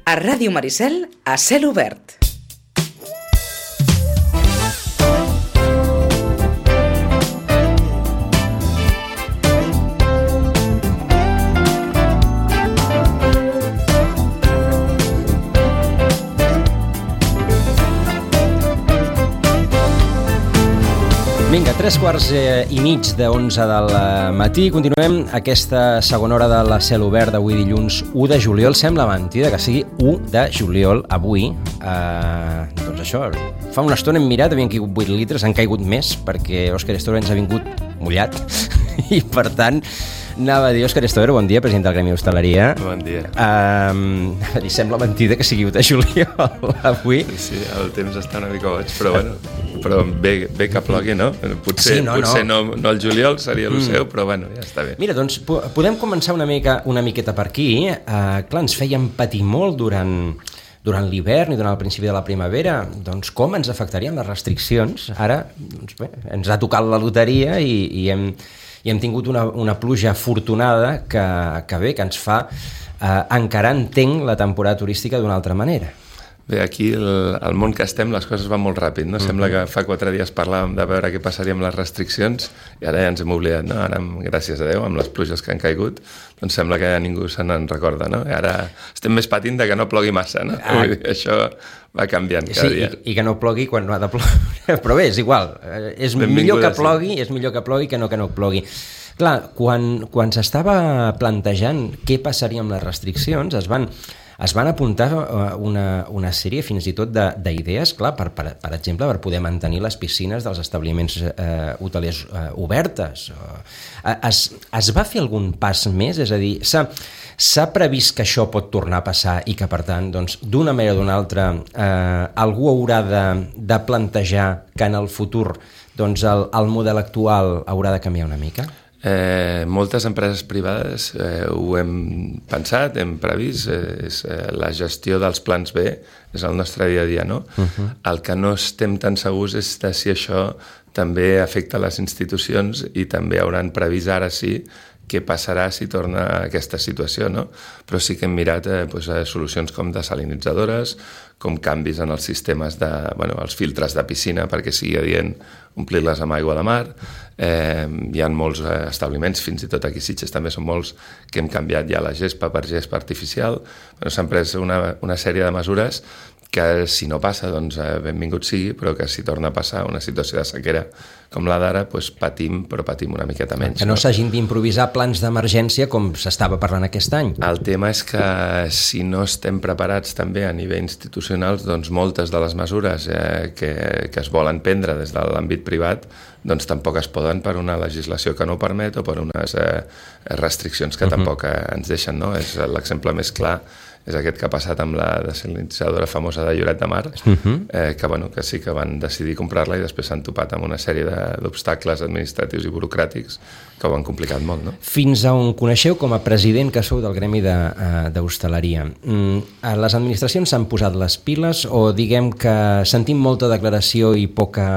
A Ràdio Maricel, a cel obert. Vinga, 3:15 del matí. Continuem aquesta segona hora de la cel obert d'avui dilluns 1 de juliol. Sembla mentida que sigui 1 de juliol avui. Doncs això, fa una estona hem mirat, havien caigut 8 litres, han caigut més perquè Òscar Esteve ens ha vingut mullat i per tant anava a dir, Òscar Esteve, bon dia, president del Gremi d'Hostaleria. Bon dia. Li sembla mentida que sigui 1 de juliol avui. Sí, el temps està una mica boig, però bueno, però bé que plogui, no? Potser, Sí, no el juliol seria el seu, però bueno, ja està bé. Mira, doncs podem començar una miqueta per aquí. Clar, ens feien patir molt durant l'hivern i durant el principi de la primavera. Doncs com ens afectarien les restriccions? Ara, doncs bé, ens ha tocat la loteria i hem tingut una pluja afortunada que ens fa encara entenc la temporada turística d'una altra manera. Bé, aquí, al món que estem, les coses van molt ràpid, no? Sembla que fa 4 dies parlàvem de veure què passaria amb les restriccions i ara ja ens hem oblidat, no? Ara, gràcies a Déu, amb les pluges que han caigut, doncs sembla que ja ningú se n'en recorda, no? I ara estem més patint de que no plogui massa, no? Vull dir, això va canviant cada dia. I que no plogui quan no ha de ploure. Però bé, és igual. És millor que plogui que no plogui. Clar, quan s'estava plantejant què passaria amb les restriccions, es van apuntar una sèrie fins i tot d'idees, clar, per exemple, per poder mantenir les piscines dels establiments hotelers obertes. Es va fer algun pas més? És a dir, s'ha previst que això pot tornar a passar i que, per tant, doncs, d'una manera o d'una altra, algú haurà de plantejar que en el futur doncs, el model actual haurà de canviar una mica? Moltes empreses privades ho hem pensat, hem previst, la gestió dels plans B és el nostre dia a dia, no? El que no estem tan segurs és de si això també afecta les institucions i també hauran previst ara sí què passarà si torna aquesta situació, no? Però sí que hem mirat solucions com desalinitzadores, com canvis en els sistemes els filtres de piscina perquè sigui adient omplir-les amb aigua de mar. Hi ha molts establiments, fins i tot aquí a Sitges també són molts, que hem canviat ja la gespa per gespa artificial. S'han pres una sèrie de mesures que si no passa, doncs benvingut sigui, però que si torna a passar una situació de sequera com la d'ara, doncs patim una miqueta menys. Que no s'hagin d'improvisar plans d'emergència com s'estava parlant aquest any. El tema és que si no estem preparats també a nivell institucional, doncs moltes de les mesures que es volen prendre des de l'àmbit privat doncs tampoc es poden per una legislació que no ho permet o per unes restriccions que tampoc ens deixen, no? L'exemple més clar és aquest que ha passat amb la desalinitzadora famosa de Lloret de Mar, que sí que van decidir comprar-la i després s'han topat amb una sèrie d'obstacles administratius i burocràtics que ho han complicat molt, no? Fins a on coneixeu com a president que sou del Gremi d'Hostaleria, les administracions s'han posat les piles o diguem que sentim molta declaració i poca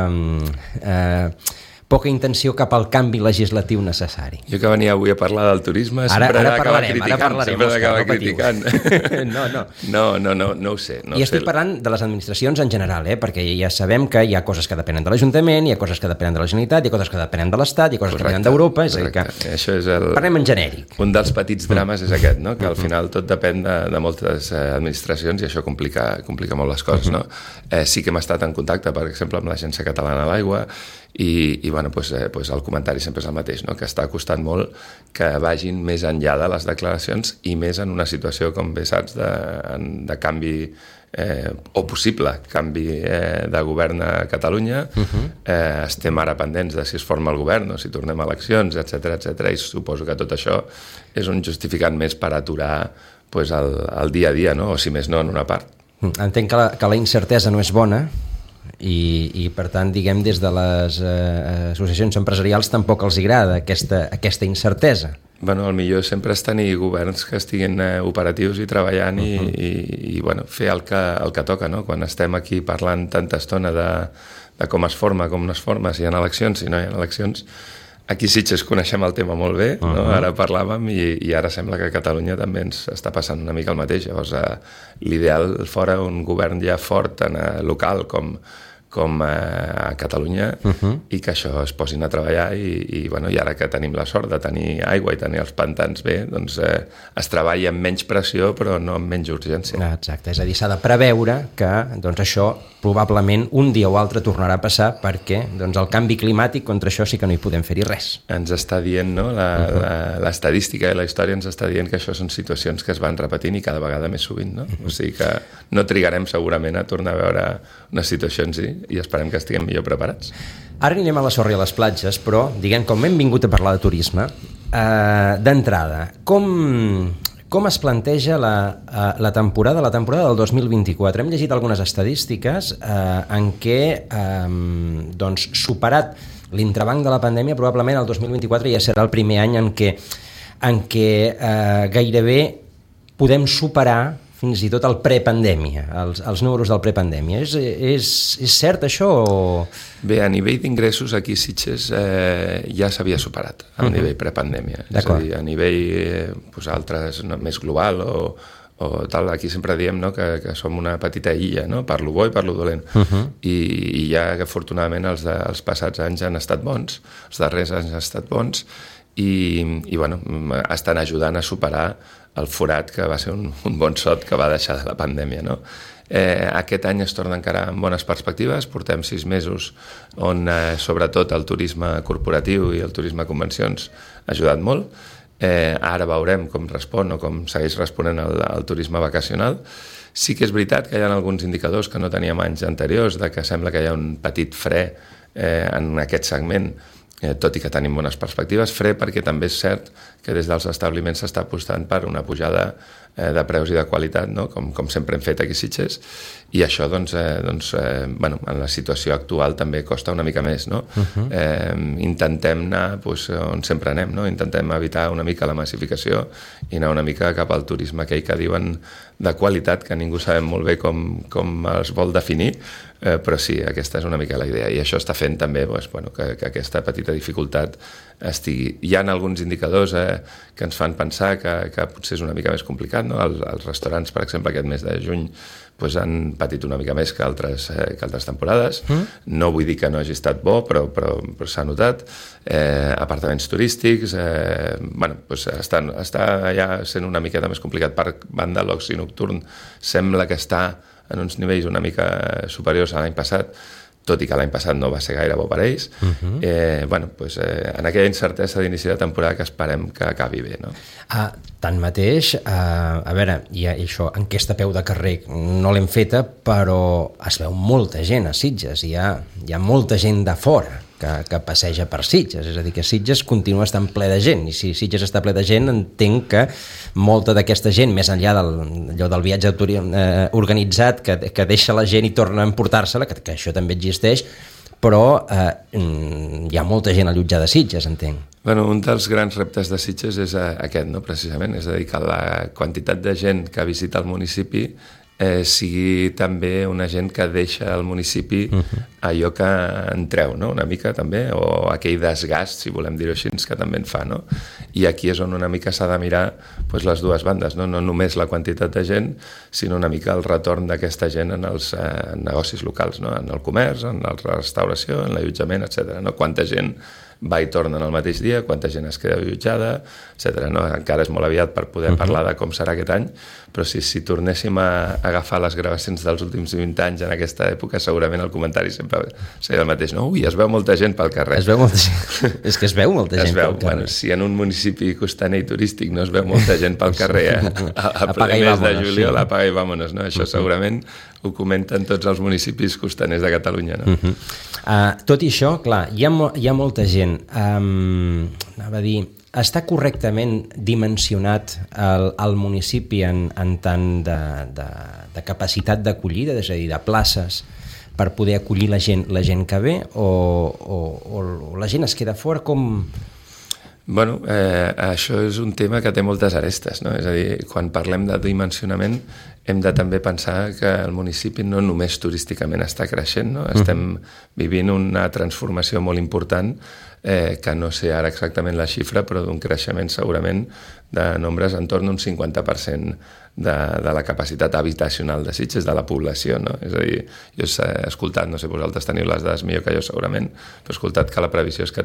intenció cap al canvi legislatiu necessari? Jo que venia avui a parlar del turisme sempre d'acaba criticant. No ho sé. I estic parlant de les administracions en general, perquè ja sabem que hi ha coses que depenen de l'Ajuntament, hi ha coses que depenen de la Generalitat, hi ha coses que depenen de l'Estat, hi ha coses que depenen d'Europa, és a dir que parlem en genèric. Un dels petits drames és aquest, no? Que al final tot depèn de moltes administracions i això complica molt les coses, no? Sí que hem estat en contacte, per exemple, amb l'Agència Catalana de l'Aigua i el comentari sempre és el mateix, no? Que està costant molt que vagin més enllà de les declaracions i més en una situació, com bé saps, de canvi o possible canvi de govern a Catalunya. Estem ara pendents de si es forma el govern o si tornem a eleccions, etcètera, i suposo que tot això és un justificant més per aturar el dia a dia, no? O si més no, en una part. Entenc que la incertesa no és bona i per tant, diguem, des de les associacions empresarials tampoc els agrada aquesta incertesa. El millor sempre és tenir governs que estiguin operatius i treballant i fer el que toca, no? Quan estem aquí parlant tanta estona de com es forma, com no es forma, si hi ha eleccions, si no hi ha eleccions, Aquí a Sitges coneixem el tema molt bé, no? Ara parlàvem i ara sembla que a Catalunya també ens està passant una mica el mateix. Llavors, l'ideal fora un govern ja fort tant local com a Catalunya i que això es posin a treballar i ara que tenim la sort de tenir aigua i tenir els pantans bé, doncs es treballa amb menys pressió però no amb menys urgència. Exacte, és a dir, s'ha de preveure que doncs, això probablement un dia o altre tornarà a passar perquè doncs, el canvi climàtic contra això sí que no hi podem fer-hi res. Ens està dient, no? L'estadística i la història ens està dient que això són situacions que es van repetint i cada vegada més sovint, no? O sigui que no trigarem segurament a tornar a veure una situació en si i esperem que estiguem millor preparats. Ara anirem a la sorra i a les platges, però, diguem, com hem vingut a parlar de turisme, d'entrada, com es planteja la temporada del 2024? Hem llegit algunes estadístiques en què, doncs, superat l'entrebanc de la pandèmia, probablement el 2024 ja serà el primer any en què gairebé podem superar fins i tot el prepandèmia, els números del prepandèmia. És cert això? Bé, a nivell d'ingressos aquí a Sitges ja s'havia superat el nivell prepandèmia. És a dir, a nivell altres, més global o tal, aquí sempre diem, no, que som una petita illa, no? Per lo bo i per lo dolent. I ja que afortunadament els passats anys han estat bons, els darrers anys han estat bons i estan ajudant a superar el forat que va ser un bon sot que va deixar de la pandèmia, no? Aquest any es torna encara amb bones perspectives, portem 6 mesos on sobretot el turisme corporatiu i el turisme convencions ha ajudat molt. Ara veurem com respon o com segueix responent el turisme vacacional. Sí que és veritat que hi ha alguns indicadors que no teníem anys anteriors, de que sembla que hi ha un petit fre en aquest segment, tot i que tenim bones perspectives, fre perquè també és cert que des dels establiments s'està apostant per una pujada de preus i de qualitat, no? com sempre hem fet aquí a Sitges, i això en la situació actual també costa una mica més. No? Intentem anar on sempre anem, no? Intentem evitar una mica la massificació i anar una mica cap al turisme aquell que diuen de qualitat, que ningú sabem molt bé com es vol definir, però sí, aquesta és una mica la idea i això està fent també que aquesta petita dificultat estigui. Hi ha alguns indicadors que ens fan pensar que potser és una mica més complicat, no? Els restaurants, per exemple, aquest mes de juny han patit una mica més que altres temporades. No vull dir que no hagi estat bo, però s'ha notat. Apartaments turístics, està ja sent una miqueta més complicat. Per banda, l'oci nocturn sembla que està en uns nivells una mica superiors a l'any passat, tot i que l'any passat no va ser gaire bo per ells. En aquella incertesa d'inici de temporada que esperem que acabi bé, no? Tanmateix, a veure, i això, enquesta a peu de carrer no l'hem feta, però es veu molta gent a Sitges, hi ha molta gent de fora que passeja per Sitges, és a dir, que Sitges continua estant ple de gent, i si Sitges està ple de gent, entenc que molta d'aquesta gent, més enllà del viatge organitzat que deixa la gent i torna a emportar-se-la, que això també existeix, però hi ha molta gent allotjada a Sitges, entenc. Un dels grans reptes de Sitges és aquest, no? Precisament, és a dir, que la quantitat de gent que visita el municipi sigui també una gent que deixa al municipi allò que en treu, no? Una mica també, o aquell desgast, si volem dir-ho així, que també en fa, no? I aquí és on una mica s'ha de mirar les dues bandes, no només la quantitat de gent, sinó una mica el retorn d'aquesta gent en els negocis locals, no? En el comerç, en la restauració, en l'allotjament, etc. No? Quanta gent va i torna en el mateix dia, quanta gent es queda allotjada, etc. No? Encara és molt aviat per poder parlar de com serà aquest any, però si tornéssim a agafar les gravacions dels últims 20 anys en aquesta època, segurament el comentari sempre seria el mateix. No? Ui, es veu molta gent pel carrer. Es veu molta gent. És que es veu molta gent pel carrer. Si en un municipi costaner i turístic no es veu molta gent pel carrer a ple mes de juliol, apaga i vámonos. No? Això segurament ho comenten tots els municipis costaners de Catalunya. No? Tot i això, clar, hi ha molta gent. Anava a dir, està correctament dimensionat el municipi en tant de capacitat d'acollida, és a dir, de places per poder acollir la gent que ve, o la gent es queda fora? Com... Bueno, això és un tema que té moltes arestes, no? És a dir, quan parlem de dimensionament hem de també pensar que el municipi no només turísticament està creixent, no? Estem vivint una transformació molt important que no sé ara exactament la xifra, però d'un creixement segurament de nombres entorn d'un 50% de la capacitat habitacional de Sitges, de la població, no? És a dir, jo he escoltat, no sé, vosaltres teniu les dades millor que jo segurament, però he escoltat que la previsió és que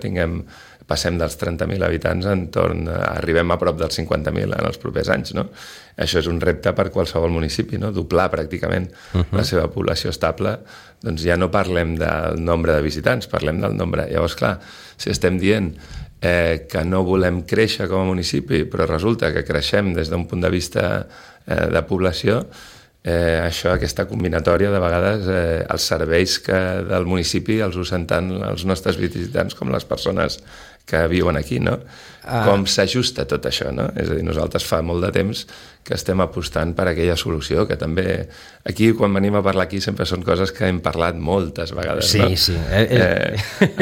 passem dels 30.000 habitants arribem a prop dels 50.000 en els propers anys, no? Això és un repte per qualsevol municipi, no? Doblar pràcticament la seva població estable, doncs ja no parlem del nombre de visitants, parlem del nombre. Llavors, clar, si estem dient que no volem créixer com a municipi, però resulta que creixem des d'un punt de vista de població, aquesta combinatòria de vegades els serveis del municipi els usen tant els nostres visitants com les persones que viuen aquí, no? Com s'ajusta tot això, no? És a dir, nosaltres fa molt de temps que estem apostant per aquella solució, que també aquí, quan venim a parlar aquí, sempre són coses que hem parlat moltes vegades, sí, no? Sí,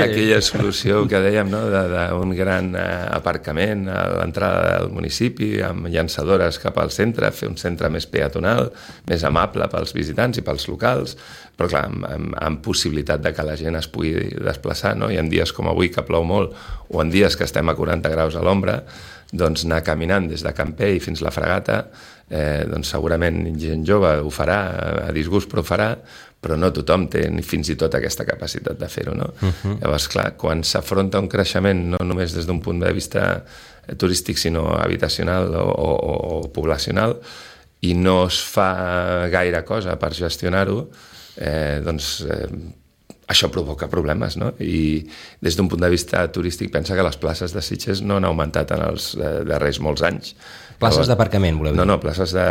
aquella solució que dèiem, no?, d'un gran aparcament a l'entrada del municipi, amb llançadores cap al centre, fer un centre més peatonal, més amable pels visitants i pels locals, però clar, amb possibilitat de que la gent es pugui desplaçar, no? I en dies com avui, que plou molt, o en dies que estem a 40 graus a l'ombra, doncs anar caminant des de Campell fins la Fragata, doncs segurament gent jove ho farà, a disgust però ho farà, però no tothom té ni fins i tot aquesta capacitat de fer-ho, no? Llavors, clar, quan s'afronta un creixement no només des d'un punt de vista turístic, sinó habitacional o poblacional, i no es fa gaire cosa per gestionar-ho, doncs això provoca problemes, no? I des d'un punt de vista turístic pensa que les places de Sitges no han augmentat en els darrers molts anys. Places d'aparcament, voleu dir? No, places de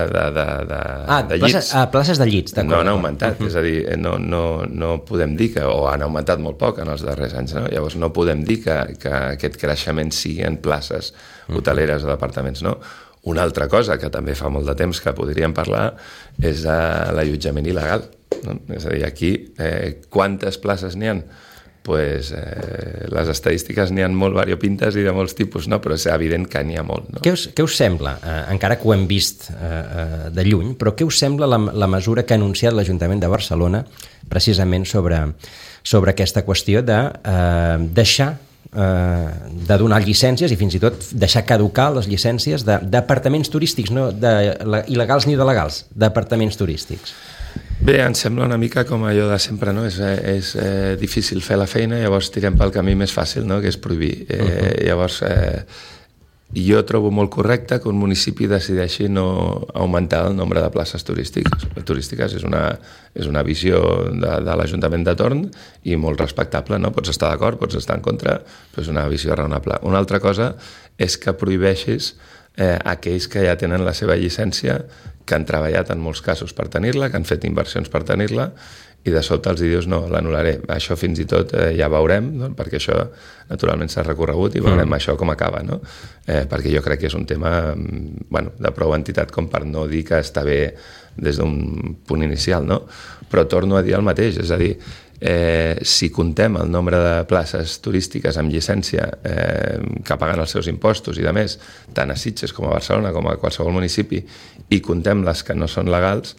llits. Places de llits, d'acord. No han augmentat, és a dir, no podem dir que, o han augmentat molt poc en els darrers anys, no? Llavors no podem dir que aquest creixement sigui en places hoteleres o d'apartaments, no? Una altra cosa que també fa molt de temps que podríem parlar és l'allotjament il·legal, no? És a dir, aquí, quantes places n'hi ha? Pues, les estadístiques n'hi ha molt variopintes i de molts tipus, no? Però és evident que n'hi ha molt, no? Què us sembla, encara que ho hem vist de lluny, però què us sembla la mesura que ha anunciat l'Ajuntament de Barcelona precisament sobre aquesta qüestió de deixar de donar llicències i fins i tot deixar caducar les llicències d'apartaments turístics, no il·legals ni de legals, d'apartaments turístics? Bé, em sembla una mica com allò de sempre, no? És difícil fer la feina, llavors tirem pel camí més fàcil, no?, que és prohibir. Llavors, jo trobo molt correcte que un municipi decideixi no augmentar el nombre de places turístiques. És una visió de l'Ajuntament de torn i molt respectable, no? Pots estar d'acord, pots estar en contra, però és una visió raonable. Una altra cosa és que prohibeixis aquells que ja tenen la seva llicència, que han treballat en molts casos per tenir-la, que han fet inversions per tenir-la, i de sobte els dius, no, l'anul·laré. Això fins i tot ja veurem, no? Perquè això naturalment s'ha recorregut i veurem això com acaba, no? Perquè jo crec que és un tema de prou entitat com per no dir que està bé des d'un punt inicial, no? Però torno a dir el mateix, és a dir, si contem el nombre de places turístiques amb llicència que paguen els seus impostos i de més, tant a Sitges com a Barcelona com a qualsevol municipi, i contem les que no són legals,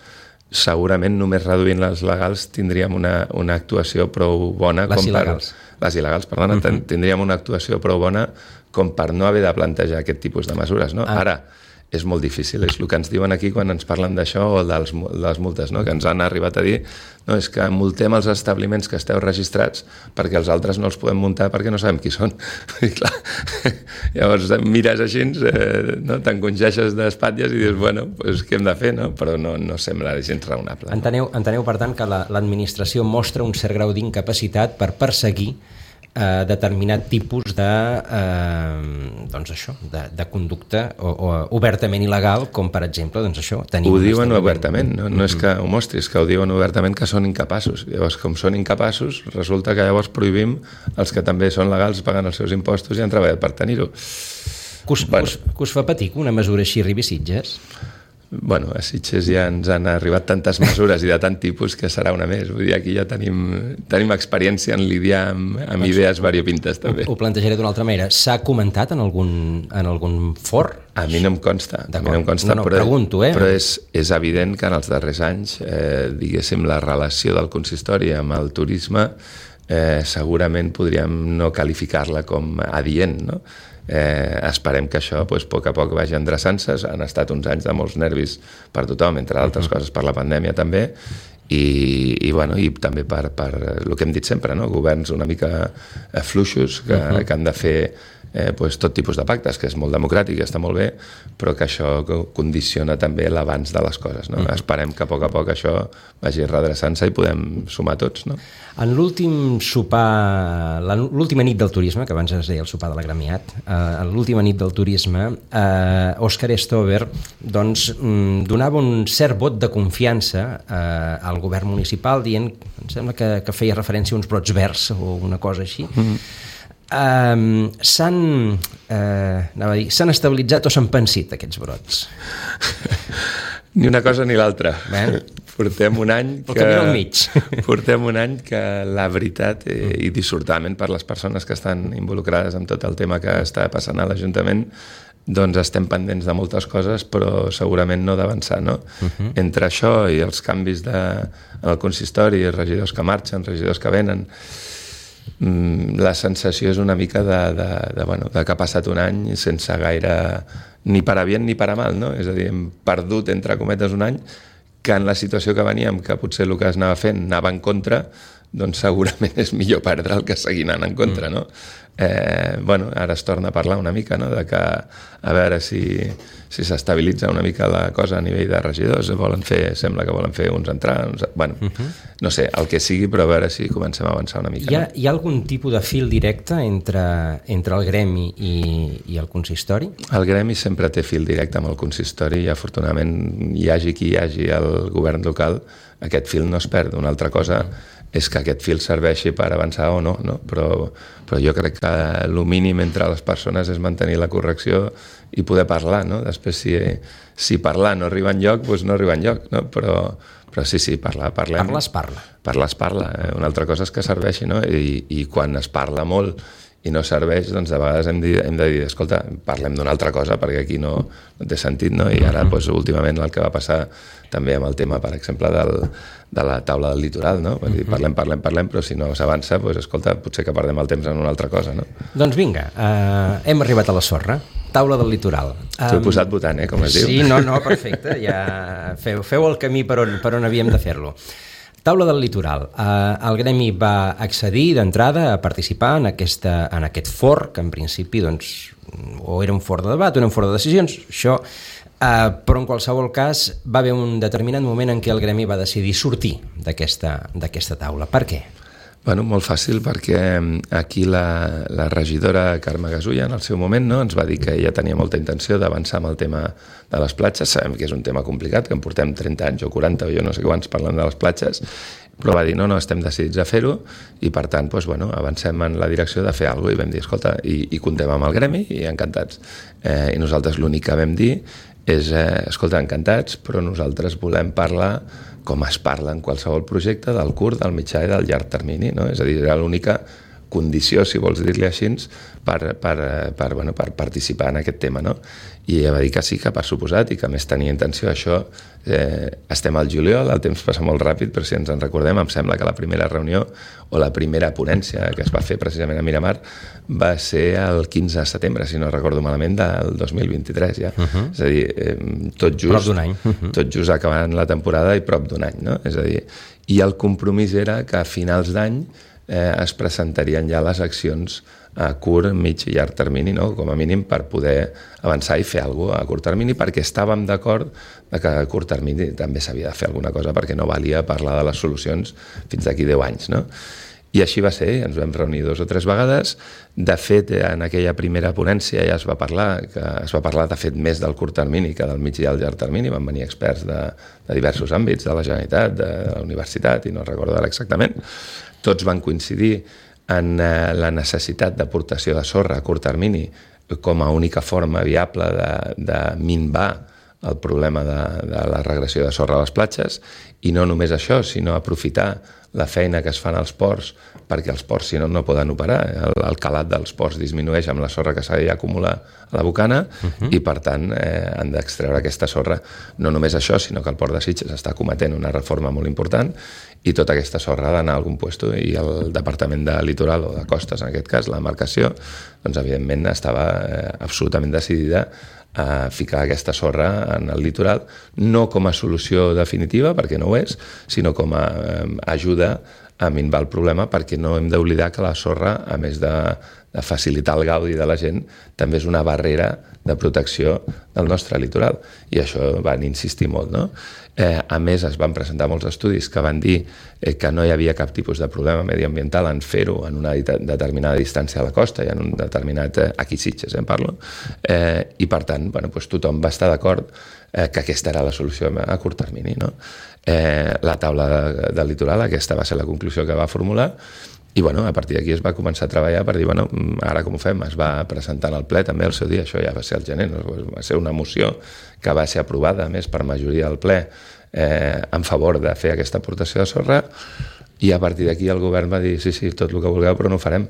segurament només reduint les legals tindríem una actuació prou bona. Les il·legals, perdona, tindríem una actuació prou bona com per no haver de plantejar aquest tipus de mesures, no? Ara, és molt difícil, és el que ens diuen aquí quan ens parlen d'això o de les multes, no? Que ens han arribat a dir, no, és que multem els establiments que esteu registrats perquè els altres no els podem muntar perquè no sabem qui són. I clar, llavors mires així, no? T'encongeixes d'espatlles i dius, bueno, pues, què hem de fer, no? Però no sembla gens raonable. Enteneu, per tant, que l'administració mostra un cert grau d'incapacitat per perseguir determinat tipus de conducta obertament il·legal, com per exemple ho diuen obertament, no és que ho mostris, que ho diuen obertament, que són incapaços. Llavors, com són incapaços, resulta que llavors prohibim els que també són legals, paguen els seus impostos i han treballat per tenir-ho. Que us fa patir que una mesura així arribi a Sitges? Bueno, a Sitges ja ens han arribat tantes mesures i de tant tipus que serà una més. Vull dir, aquí ja tenim experiència en lidiar amb idees variopintes, també. Ho plantejaré d'una altra manera. S'ha comentat en algun for? A mi no em consta. No, pregunto, però és evident que en els darrers anys, diguéssim, la relació del consistori amb el turisme segurament podríem no qualificar-la com adient, no? Esperem que això a poc a poc vagi endreçant-se. Han estat uns anys de molts nervis per tothom, entre altres coses per la pandèmia també, i també per el que hem dit sempre, no? Governs una mica fluixos que han de fer tot tipus de pactes, que és molt democràtic i està molt bé, però que això condiciona també l'abans de les coses, no? Esperem que a poc això vagi redreçant-se i podem sumar tots, no? En l'últim sopar, l'última nit del turisme, que abans es deia el sopar de la Gremiat, en l'última nit del turisme, Òscar Stover doncs, donava un cert vot de confiança al govern municipal, dient, em sembla que feia referència a uns brots verds o una cosa així. S'han estabilitzat o s'han pensit aquests brots? Ni una cosa ni l'altra. Portem un any que la veritat, i dissortadament per les persones que estan involucrades en tot el tema que està passant a l'Ajuntament, doncs estem pendents de moltes coses, però segurament no d'avançar, no? Entre això i els canvis en el consistori, regidors que marxen, regidors que venen, la sensació és una mica de que ha passat un any sense gaire ni per a bien ni per a mal, no? És a dir, hem perdut, entre cometes, un any que en la situació que veníem, que potser el que es anava fent anava en contra, doncs segurament és millor perdre el que seguir anant en contra, no? Ara es torna a parlar una mica, no? De que a veure si s'estabilitza una mica la cosa a nivell de regidors, sembla que volen fer uns entrar, no sé, el que sigui, però a veure si comencem a avançar una mica. Hi ha algun tipus de fil directe entre el gremi i el consistori? El gremi sempre té fil directe amb el consistori i afortunadament hi hagi qui hi hagi al govern local, aquest fil no es perd. Una altra cosa és que aquest fil serveixi per avançar o no? Però jo crec que el mínim entre les persones és mantenir la correcció i poder parlar, no? Després, si parlar no arriba enlloc, doncs no arriba enlloc, no? Però sí, parlem. Parlar es parla. Una altra cosa és que serveixi, no? I quan es parla molt i no serveix, doncs de vegades hem de dir, escolta, parlem d'una altra cosa perquè aquí no té sentit, no? I ara, últimament, el que va passar també amb el tema, per exemple, de la taula del litoral, no? Dir, parlem, però si no s'avança, escolta, potser que perdem el temps en una altra cosa, no? Doncs vinga, hem arribat a la sorra. Taula del litoral. T'ho he posat votant, com es diu. Sí, no, perfecte. Ja feu el camí per on havíem de fer-lo. Taula del litoral. El gremi va accedir d'entrada a participar en aquest for, que en principi doncs, o era un for de debat o era un for de decisions, això, però en qualsevol cas va haver un determinat moment en què el gremi va decidir sortir d'aquesta taula. Per què? Molt fàcil, perquè aquí la regidora Carme Gasulla en el seu moment, no, ens va dir que ella tenia molta intenció d'avançar amb el tema de les platges. Sabem que és un tema complicat, que en portem 30 anys o 40 o jo no sé quants parlant de les platges, però va dir no, estem decidits a fer-ho i per tant avancem en la direcció de fer alguna cosa i vam dir, escolta, i comptem amb el gremi i encantats. I nosaltres l'únic que vam dir és, escolta, encantats, però nosaltres volem parlar com es parla en qualsevol projecte del curt, del mitjà i del llarg termini, no? És a dir, era l'única condició, si vols dir-li així, per participar en aquest tema, no? I ella va dir que sí, que per suposat, i que més tenia intenció. Això, estem al juliol, el temps passa molt ràpid, però si ens en recordem, em sembla que la primera reunió o la primera ponència que es va fer precisament a Miramar va ser el 15 de setembre, si no recordo malament, del 2023 ja. És a dir, tot just acabant la temporada i prop d'un any, no? És a dir, i el compromís era que a finals d'any es presentarien ja les accions a curt, mig i llarg termini, no? Com a mínim per poder avançar i fer alguna cosa a curt termini, perquè estàvem d'acord que a curt termini també s'havia de fer alguna cosa perquè no valia parlar de les solucions fins d'aquí 10 anys, no? I així va ser, ens vam reunir 2 o 3 vegades. De fet, en aquella primera ponència ja es va parlar de fet més del curt termini que del mig i del llarg termini. Van venir experts de diversos àmbits, de la Generalitat, de la universitat, i no recordo ara exactament. Tots van coincidir en la necessitat d'aportació de sorra a curt termini com a única forma viable de minvar el problema de la regressió de sorra a les platges, i no només això, sinó aprofitar la feina que es fan als ports, perquè els ports, si no, no poden operar. El calat dels ports disminueix amb la sorra que s'ha d'acumular a la bocana i, per tant, han d'extreure aquesta sorra. No només això, sinó que el port de Sitges està cometent una reforma molt important i tota aquesta sorra ha d'anar a algun lloc, i el Departament de Litoral o de Costes, en aquest cas, la demarcació, doncs, evidentment, estava absolutament decidida a ficar aquesta sorra en el litoral, no com a solució definitiva, perquè no ho és, sinó com a ajuda a minvar el problema, perquè no hem d'oblidar que la sorra, a més de facilitar el gaudi de la gent, també és una barrera de protecció del nostre litoral, i això van insistir molt, no? A més, es van presentar molts estudis que van dir que no hi havia cap tipus de problema mediambiental en fer-ho en una determinada distància a la costa i en un determinat... aquí Sitges, parlo. I, per tant, tothom va estar d'acord que aquesta era la solució a curt termini, no? La taula del litoral, aquesta va ser la conclusió que va formular, i a partir d'aquí es va començar a treballar per dir, ara com ho fem? Es va presentar en el ple també el seu dia, això ja va ser al gener, va ser una moció que va ser aprovada, a més, per majoria del ple en favor de fer aquesta aportació de sorra, i a partir d'aquí el govern va dir, sí, tot el que vulgueu, però no ho farem.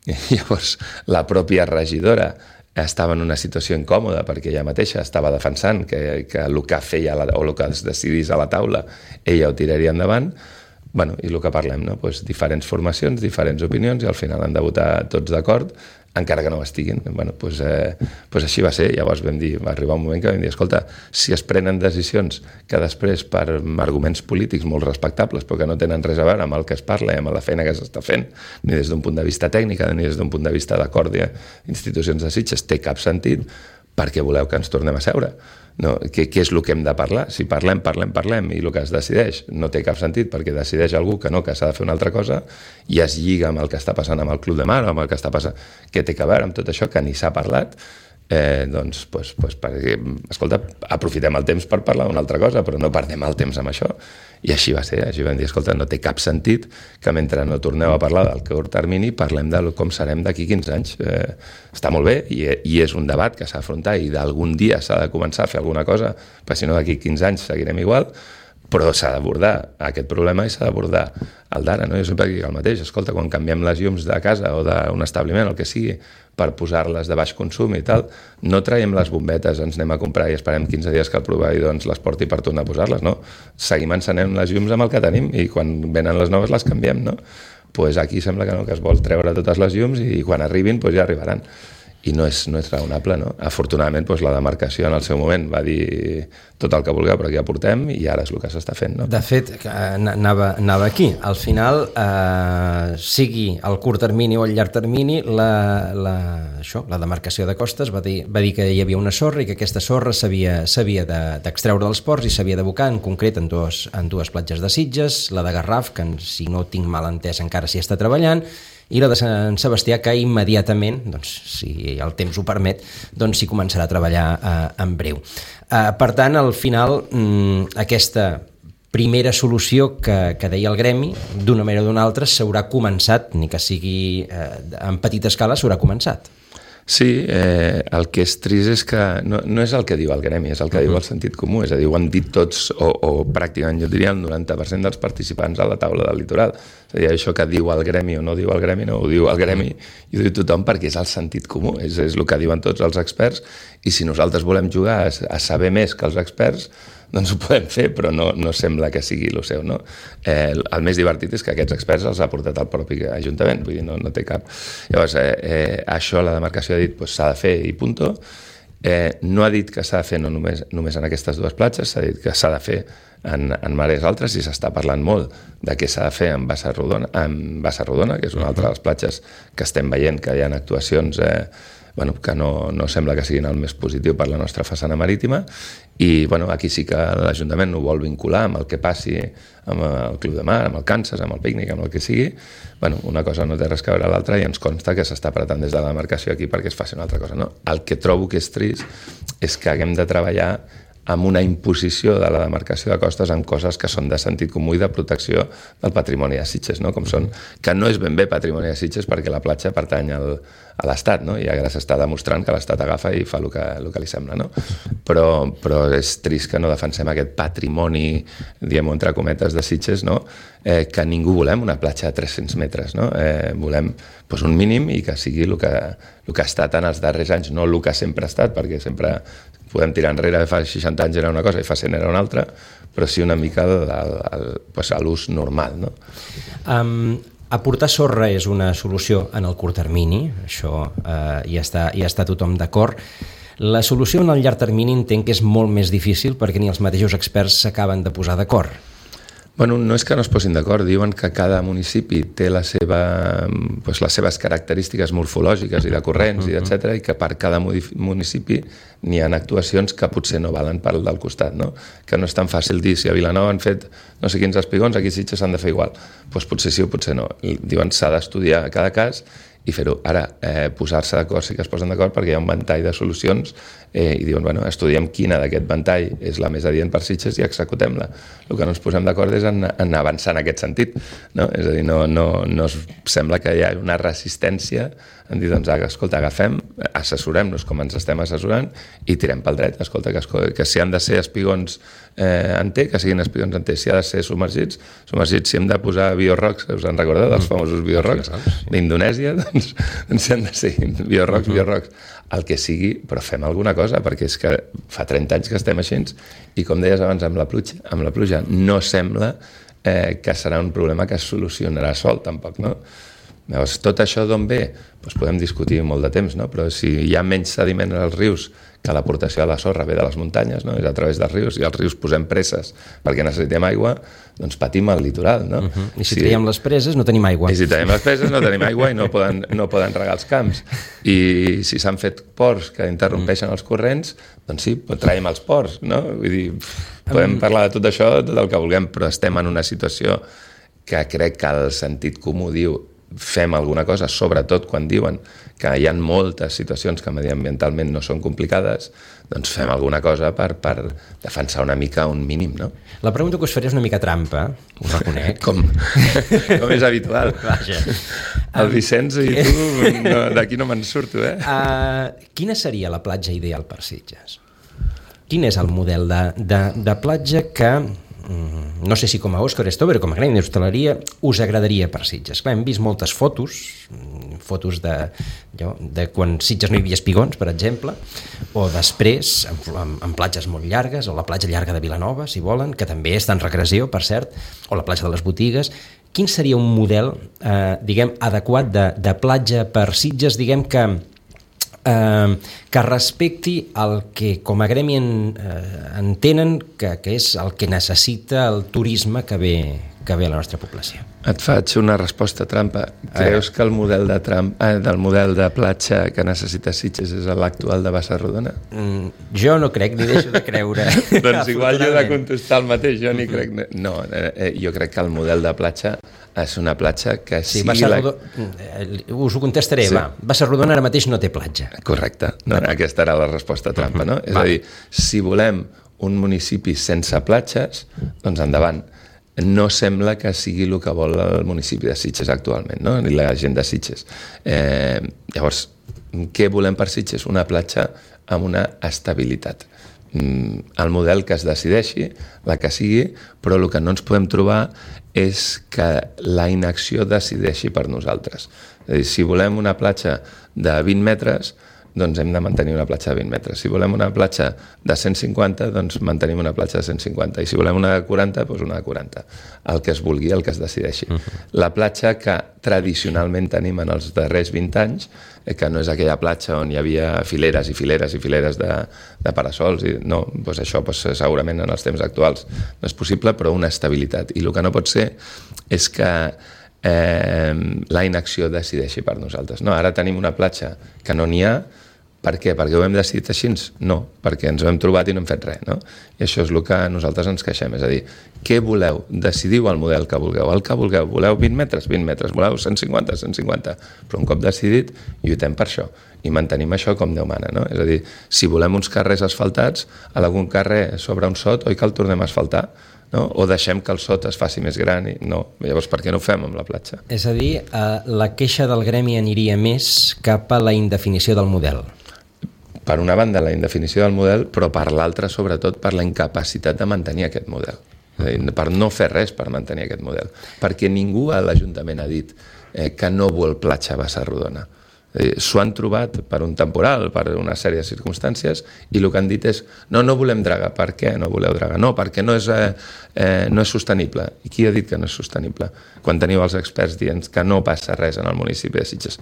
I llavors la pròpia regidora estava en una situació incòmoda perquè ella mateixa estava defensant que el que feia o el que es decidís a la taula ella ho tiraria endavant. I el que parlem, no? Diferents formacions, diferents opinions, i al final han de votar tots d'acord, encara que no ho estiguin. Així va ser. Llavors va arribar un moment que vam dir, escolta, si es prenen decisions que després, per arguments polítics molt respectables, però que no tenen res a veure amb el que es parla i amb la feina que s'està fent, ni des d'un punt de vista tècnic, ni des d'un punt de vista d'acord d'institucions de Sitges, té cap sentit, perquè voleu que ens tornem a seure. No, què és el que hem de parlar? Si parlem, i el que es decideix no té cap sentit, perquè decideix algú que s'ha de fer una altra cosa, i es lliga amb el que està passant amb el Club de Mar, amb el que està passant, què té a veure amb tot això que ni s'ha parlat, perquè, escolta, aprofitem el temps per parlar d'una altra cosa, però no perdem el temps amb això. I així va ser, així vam dir, escolta, no té cap sentit que mentre no torneu a parlar del curt termini parlem de com serem d'aquí 15 anys. Està molt bé, i és un debat que s'ha d'afrontar, i d'algun dia s'ha de començar a fer alguna cosa, perquè si no d'aquí 15 anys seguirem igual, però s'ha d'abordar aquest problema i s'ha d'abordar el d'ara, no? Jo sempre dic el mateix, escolta, quan canviem les llums de casa o d'un establiment, el que sigui, per posar-les de baix consum i tal, no traiem les bombetes, ens anem a comprar i esperem 15 dies que el proveïdor ens les porti per tornar a posar-les, no? Seguim encenent les llums amb el que tenim, i quan venen les noves les canviem, no? Aquí sembla que no, que es vol treure totes les llums, i quan arribin ja arribaran. I no és raonable, no? Afortunadament, la demarcació en el seu moment va dir tot el que vulgueu, però aquí ja portem, i ara és el que s'està fent, no? De fet, anava aquí. Al final, sigui el curt termini o el llarg termini, la demarcació de Costes va dir que hi havia una sorra i que aquesta sorra s'havia d'extreure dels ports i s'havia d'abocar, en concret, en dues platges de Sitges, la de Garraf, que si no tinc mal entès encara s'hi està treballant, i la de Sant Sebastià, que immediatament, si el temps ho permet, s'hi començarà a treballar en breu. Per tant, al final, aquesta primera solució que deia el gremi, d'una manera o d'una altra, s'haurà començat, ni que sigui en petita escala, s'haurà començat. Sí, el que és trist és que no és el que diu el gremi, és el que diu el sentit comú, és a dir, ho han dit tots, o pràcticament, jo diria, el 90% dels participants a la taula del litoral. És a dir, això que diu el gremi o no diu el gremi, no ho diu el gremi, i ho diu tothom perquè és el sentit comú, és el que diuen tots els experts, i si nosaltres volem jugar a saber més que els experts, doncs ho podem fer, però no sembla que sigui el seu, no? El més divertit és que aquests experts els ha portat el propi Ajuntament, vull dir, no té cap. Llavors, això la demarcació ha dit s'ha de fer i punto. No ha dit que s'ha de fer no només en aquestes dues platges, s'ha dit que s'ha de fer en mares altres, i s'està parlant molt de què s'ha de fer en Bassa Rodona, que és una altra de les platges que estem veient que hi ha actuacions que no sembla que siguin el més positiu per la nostra façana marítima, i aquí sí que l'Ajuntament ho vol vincular amb el que passi amb el Club de Mar, amb el Kansas, amb el pícnic, amb el que sigui. Una cosa no té res que veure a l'altra, i ens consta que s'està apretant des de la demarcació aquí perquè es faci una altra cosa, no? El que trobo que és trist és que haguem de treballar amb una imposició de la demarcació de costes en coses que són de sentit comú i de protecció del patrimoni de Sitges, no? Com són, que no és ben bé patrimoni de Sitges perquè la platja pertany a l'Estat, no? I ara s'està demostrant que l'Estat agafa i fa el que li sembla, no? Però és trist que no defensem aquest patrimoni, diguem-ho entre cometes, de Sitges, no? Que ningú volem una platja de 300 metres, no? Volem un mínim i que sigui el que ha estat en els darrers anys, no el que sempre ha estat, perquè sempre podem tirar enrere, fa 60 anys era una cosa i fa 100 era una altra, però sí una mica a l'ús normal, no? Aportar sorra és una solució en el curt termini, això hi està tothom d'acord. La solució en el llarg termini entenc que és molt més difícil perquè ni els mateixos experts s'acaben de posar d'acord. Bueno, no és que no es posin d'acord, diuen que cada municipi té les seves característiques morfològiques i de corrents, etc., i que per cada municipi n'hi ha actuacions que potser no valen per al del costat, no? Que no és tan fàcil dir si a Vilanova han fet no sé quins espigons, aquí a Sitges s'han de fer igual. Doncs potser sí o potser no. Diuen s'ha d'estudiar cada cas i fer-ho. Ara, posar-se d'acord, sí que es posen d'acord perquè hi ha un ventall de solucions i diuen, bueno, estudiem quina d'aquest ventall és la més adient per Sitges i executem-la. El que no ens posem d'acord és en avançar en aquest sentit, no? És a dir, no sembla que hi ha una resistència en dir, doncs, escolta, agafem, assessorem-nos com ens estem assessorant i tirem pel dret. Escolta, que si han de ser espigons en T, que siguin espigons en T. Si ha de ser submergits, si hem de posar biorrocs, us en recordeu dels famosos biorrocs d'Indonèsia, doncs si han de ser biorrocs, el que sigui, però fem alguna cosa, perquè és que fa 30 anys que estem així i, com deies abans, amb la pluja no sembla que serà un problema que es solucionarà sol, tampoc, no? Llavors, tot això d'on ve? Doncs podem discutir molt de temps, no? Però si hi ha menys sediment als rius que l'aportació de la sorra ve de les muntanyes, no? És a través dels rius, i als rius posem preses perquè necessitem aigua, doncs patim el litoral, no? I si traiem les preses no tenim aigua. I si traiem les preses no tenim aigua i no poden regar els camps. I si s'han fet ports que interrompeixen els corrents, doncs sí, traiem els ports, no? Vull dir, podem parlar de tot això, tot el que vulguem, però estem en una situació que crec que el sentit comú diu fem alguna cosa, sobretot quan diuen que hi ha moltes situacions que mediambientalment no són complicades, doncs fem alguna cosa per defensar una mica un mínim, no? La pregunta que us faré és una mica trampa, ho reconec. Com és habitual. Vaja. El Vicenç i tu, d'aquí no me'n surto, Quina seria la platja ideal per Sitges? Quin és el model de platja que, no sé si com a Òscar Stover o com a gremi d'hostaleria, us agradaria per Sitges? Clar, hem vist moltes fotos de quan Sitges no hi havia espigons, per exemple, o després, en platges molt llargues, o la platja llarga de Vilanova, si volen, que també està en regressió, per cert, o la platja de les Botigues. Quin seria un model, adequat de platja per Sitges, que respecti el que com a gremi entenen que és el que necessita el turisme que ve a la nostra població? Et faig una resposta trampa. Creus que el model del model de platja que necessita Sitges és l'actual de Bassarrodona? Jo no crec, ni deixo de creure. Doncs igual jo he de contestar el mateix, jo ni crec. No, jo crec que el model de platja és una platja que sigui... Us ho contestaré, va. Bassarrodona ara mateix no té platja. Correcte, aquesta era la resposta trampa, no? És a dir, si volem un municipi sense platges, doncs endavant. No sembla que sigui el que vol el municipi de Sitges actualment, no? Ni la gent de Sitges. Llavors, què volem per Sitges? Una platja amb una estabilitat. El model que es decideixi, la que sigui, però el que no ens podem trobar és que la inacció decideixi per nosaltres. És a dir, si volem una platja de 20 metres, doncs hem de mantenir una platja de 20 metres. Si volem una platja de 150, doncs mantenim una platja de 150. I si volem una de 40, doncs una de 40. El que es vulgui, el que es decideixi. La platja que tradicionalment tenim en els darrers 20 anys, que no és aquella platja on hi havia fileres i fileres i fileres de parasols, no, doncs això segurament en els temps actuals no és possible, però una estabilitat. I el que no pot ser és que la inacció decideixi per nosaltres. No, ara tenim una platja que no n'hi ha, Per què? Perquè ho hem decidit així? No, perquè ens ho hem trobat i no hem fet res, no? I això és el que nosaltres ens queixem, és a dir, què voleu? Decidiu el model que vulgueu, el que vulgueu. Voleu 20 metres? 20 metres. Voleu 150? 150. Però un cop decidit, lluitem per això i mantenim això com Déu mana, no? És a dir, si volem uns carrers asfaltats, a algun carrer sobre un sot, oi que el tornem a asfaltar? No? O deixem que el sot es faci més gran i no, llavors per què no ho fem amb la platja? És a dir, la queixa del gremi aniria més cap a la indefinició del model. Per una banda la indefinició del model, però per l'altra sobretot per la incapacitat de mantenir aquest model, és a dir, per no fer res per mantenir aquest model, perquè ningú a l'Ajuntament ha dit que no vol platja a Bassa-Rodona. S'ho han trobat per un temporal, per una sèrie de circumstàncies, i el que han dit és no volem draga. Per què no voleu draga? No, perquè no és sostenible. I qui ha dit que no és sostenible? Quan teniu els experts dient que no passa res en el municipi de Sitges.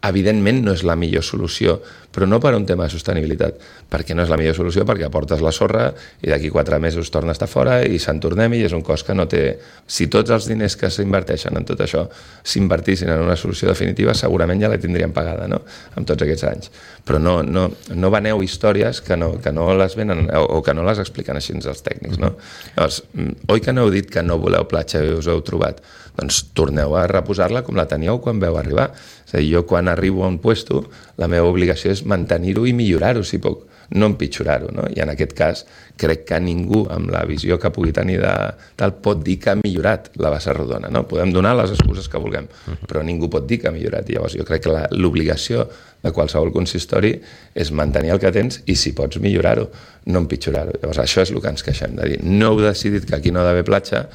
Evidentment no és la millor solució, però no per un tema de sostenibilitat, perquè no és la millor solució, perquè aportes la sorra i d'aquí 4 mesos torna a estar fora i se'n tornem i és un cost que no té... Si tots els diners que s'inverteixen en tot això s'invertissin en una solució definitiva, segurament ja la tindríem pagada, no? Amb tots aquests anys. Però no veneu històries que no les venen o que no les expliquen així els tècnics, no? Llavors, oi que no heu dit que no voleu platja i us heu trobat? Doncs torneu a reposar-la com la teníeu quan veu arribar. És a dir, jo quan arribo a un puesto, la meva obligació és mantenir-ho i millorar-ho, si puc, no empitjorar-ho, no? I en aquest cas crec que ningú amb la visió que pugui tenir de tal pot dir que ha millorat la Bassa-Rodona, no? Podem donar les excuses que vulguem, però ningú pot dir que ha millorat. Llavors jo crec que l'obligació de qualsevol consistori és mantenir el que tens i si pots millorar-ho, no empitjorar-ho. Llavors això és el que ens queixem, de dir, no heu decidit que aquí no ha d'haver platja,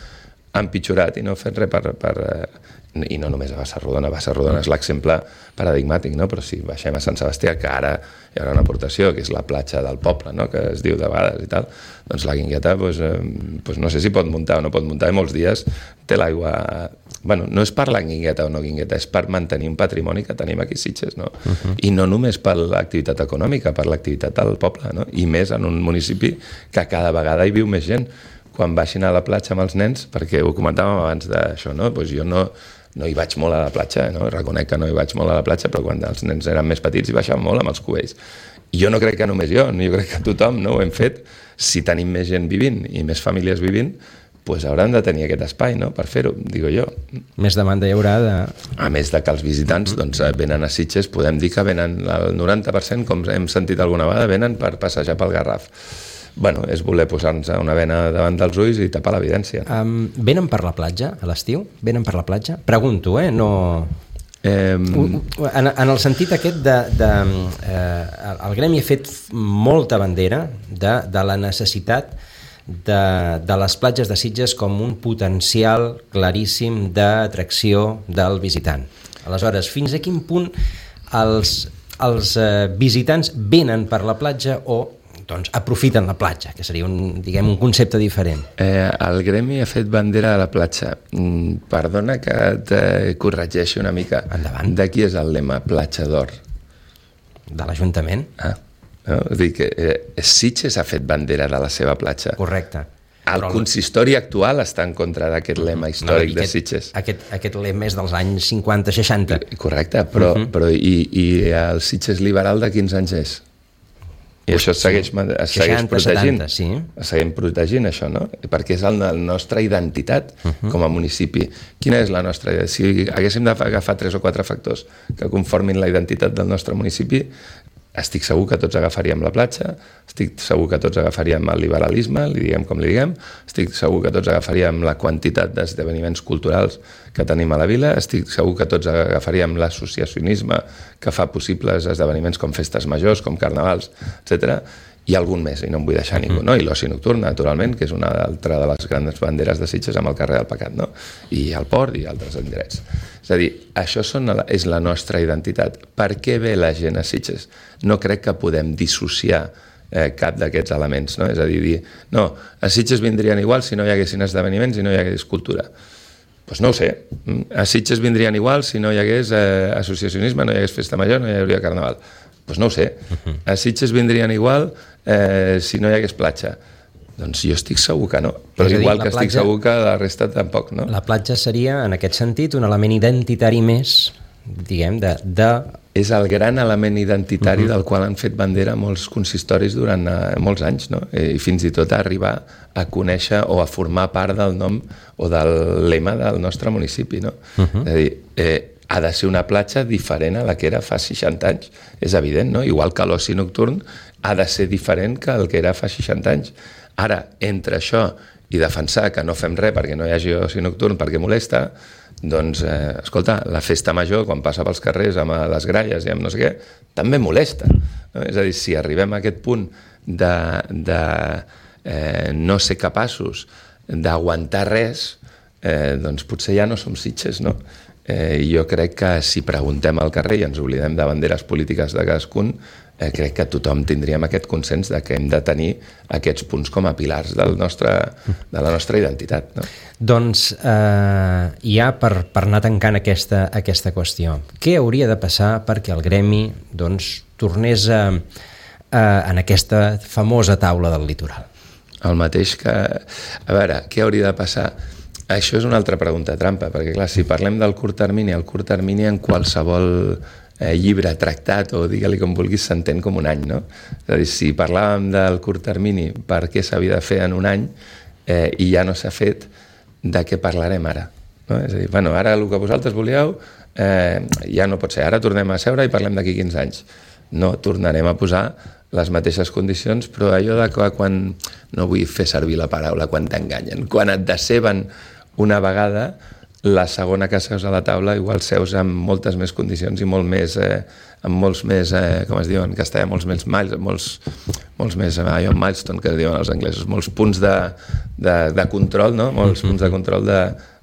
ha empitjorat i no heu fet res i no només a Bassa-Rodona. Bassa-Rodona és l'exemple paradigmàtic, no? Però si baixem a Sant Sebastià, que ara hi haurà una aportació, que és la platja del poble, no? Que es diu de vegades i tal, doncs la Guingueta no sé si pot muntar o no pot muntar, i molts dies té l'aigua... Bueno, no és per la Guingueta o no Guingueta, és per mantenir un patrimoni que tenim aquí a Sitges, no? I no només per l'activitat econòmica, per l'activitat del poble, no? I més en un municipi que cada vegada hi viu més gent. Quan baixin a la platja amb els nens, perquè ho comentàvem abans d'això, no? Doncs jo no hi vaig molt a la platja, no? Reconec que no hi vaig molt a la platja, però quan els nens eren més petits hi baixàvem molt amb els cubells. I jo no crec que només jo crec que tothom no ho hem fet. Si tenim més gent vivint i més famílies vivint, doncs hauran de tenir aquest espai, no?, per fer-ho, digo jo. Més demanda hi haurà de... A més de que els visitants venen a Sitges, podem dir que venen el 90%, com hem sentit alguna vegada, venen per passejar pel Garraf. Bueno, és voler posar-nos una bena davant dels ulls i tapar l'evidència. Venen per la platja a l'estiu? Venen per la platja? Pregunto, no... En el sentit aquest el gremi ha fet molta bandera de la necessitat de les platges de Sitges com un potencial claríssim d'atracció del visitant. Aleshores, fins a quin punt els visitants venen per la platja o aprofiten la platja, que seria un concepte diferent? El gremi ha fet bandera de la platja. Perdona que et corregeixi una mica. Endavant. De qui és el lema? Platja d'or. De l'Ajuntament. No? És a dir, que Sitges ha fet bandera de la seva platja. Correcte. El consistori actual està en contra d'aquest lema històric de Sitges. Aquest lema és dels anys 50-60. Correcte, però el Sitges liberal de quins anys és? I això es segueix protegint. 70, sí. Es segueix protegint, això, no? Perquè és la nostra identitat com a municipi. Quina és la nostra identitat? Si haguéssim d'agafar 3 o 4 factors que conformin la identitat del nostre municipi, estic segur que tots agafaríem la platja, estic segur que tots agafaríem el liberalisme, li diguem com li diguem, estic segur que tots agafaríem la quantitat d'esdeveniments culturals que tenim a la vila, estic segur que tots agafaríem l'associacionisme que fa possibles esdeveniments com festes majors, com carnavals, etc. I algun més, i no em vull deixar ningú, no? I l'oci nocturn, naturalment, que és una altra de les grans banderes de Sitges amb el carrer del Pecat, no? I el port i altres indrets. És a dir, això és la nostra identitat. Per què ve la gent a Sitges? No crec que podem dissociar cap d'aquests elements, no? És a dir, no, a Sitges vindrien igual si no hi haguessin esdeveniments i no hi hagués cultura. Doncs no ho sé. A Sitges vindrien igual si no hi hagués associacionisme, no hi hagués festa major, no hi hauria carnaval. Doncs no ho sé. A Sitges vindrien igual si no hi hagués platja. Doncs jo estic segur que no, però igual que estic segur que la resta tampoc, no? La platja seria, en aquest sentit, un element identitari més, diguem, de és el gran element identitari del qual han fet bandera molts consistoris durant molts anys, no? I fins i tot a arribar a conèixer o a formar part del nom o del lema del nostre municipi, no? És a dir, ha de ser una platja diferent a la que era fa 60 anys, és evident, no? Igual que l'oci nocturn ha de ser diferent que el que era fa 60 anys. Ara, entre això i defensar que no fem res perquè no hi hagi oci nocturn perquè molesta, doncs, escolta, la festa major, quan passa pels carrers amb les gralles i amb no sé què, també molesta. No? És a dir, si arribem a aquest punt de no ser capaços d'aguantar res, doncs potser ja no som Sitges, no? Jo crec que si preguntem al carrer i ens oblidem de banderes polítiques de cadascun, crec que tothom tindríem aquest consens de que hem de tenir aquests punts com a pilars de la nostra identitat. No? Doncs ja per anar tancant aquesta qüestió, què hauria de passar perquè el gremi tornés en aquesta famosa taula del litoral? El mateix que... A veure, què hauria de passar? Això és una altra pregunta trampa, perquè clar, si parlem del curt termini, el curt termini en qualsevol llibre, tractat o digue-li com vulguis, s'entén com un any, no? És a dir, si parlàvem del curt termini, per què s'havia de fer en un any i ja no s'ha fet, de què parlarem ara? No? És a dir, bueno, ara el que vosaltres volíeu ja no pot ser, ara tornem a seure i parlem d'aquí 15 anys. No, tornarem a posar les mateixes condicions, però allò de que quan, no vull fer servir la paraula quan t'enganyen, quan et deceben una vegada, la segona que seus a la taula igual seus amb moltes més condicions i molt més, amb molts més, com es diu en castellà, molts més milestone, que diuen els anglesos, molts punts de control, no? Molts punts de control de